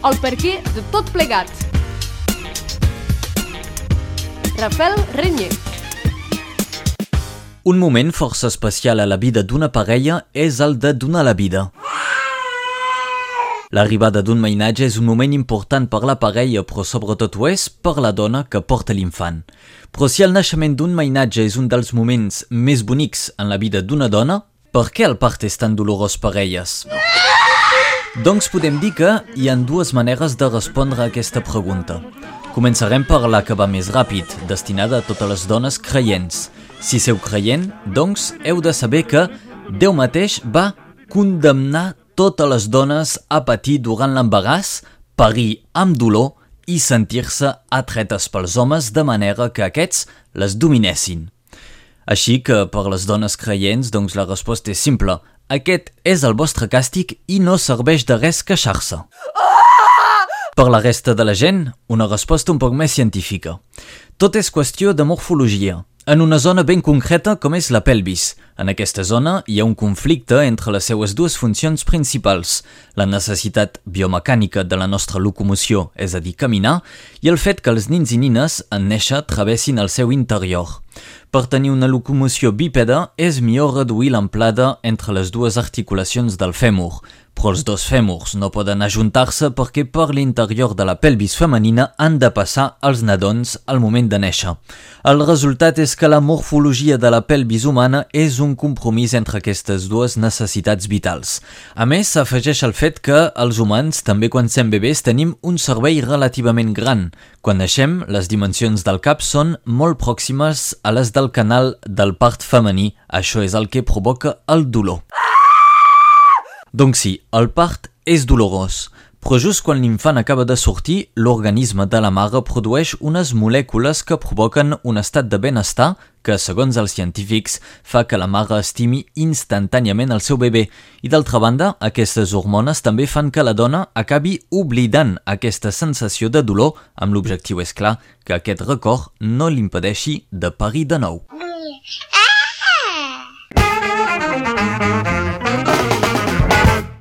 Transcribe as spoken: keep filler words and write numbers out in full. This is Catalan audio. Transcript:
el perquè de tot plegat. Rafael Renyer. Un moment força especial a la vida d'una parella és el de donar la vida. L'arribada d'un mainatge és un moment important per la parella, però sobretot ho és per la dona que porta l'infant. Però si el naixement d'un mainatge és un dels moments més bonics en la vida d'una dona, per què el part és tan dolorós per elles? Doncs podem dir que hi ha dues maneres de respondre a aquesta pregunta. Començarem per la que va més ràpid, destinada a totes les dones creients. Si sou creient, doncs heu de saber que Déu mateix va condemnar totes les dones a patir durant l'embaràs, parir amb dolor i sentir-se atretes pels homes de manera que aquests les dominessin. Així que per les dones creients, doncs la resposta és simple. Aquest és el vostre càstig i no serveix de res queixar-se. Per la resta de la gent, una resposta un poc més científica. Tot és qüestió de morfologia, en una zona ben concreta com és la pelvis. En aquesta zona hi ha un conflicte entre les seues dues funcions principals, la necessitat biomecànica de la nostra locomoció, és a dir, caminar, i el fet que els nins i nines en néixer travessin el seu interior. Per tenir una locomoció bípeda és millor reduir l'amplada entre les dues articulacions del fèmur, però els dos fèmurs no poden ajuntar-se perquè per l'interior de la pelvis femenina han de passar els nadons al moment de néixer. El resultat és que la morfologia de la pelvis humana és un compromís entre aquestes dues necessitats vitals. A més, s'afegeix el fet que els humans, també quan som bebès, tenim un cervell relativament gran. Quan naixem, les dimensions del cap són molt pròximes a les del canal del part femení. Això és el que provoca el dolor. Donc sí, el part és dolorós, però just quan l'infant acaba de sortir, l'organisme de la mare produeix unes molècules que provoquen un estat de benestar que, segons els científics, fa que la mare estimi instantàniament el seu bebè. I d'altra banda, aquestes hormones també fan que la dona acabi oblidant aquesta sensació de dolor, amb l'objectiu, és clar, que aquest record no l'impedeixi de parir de nou.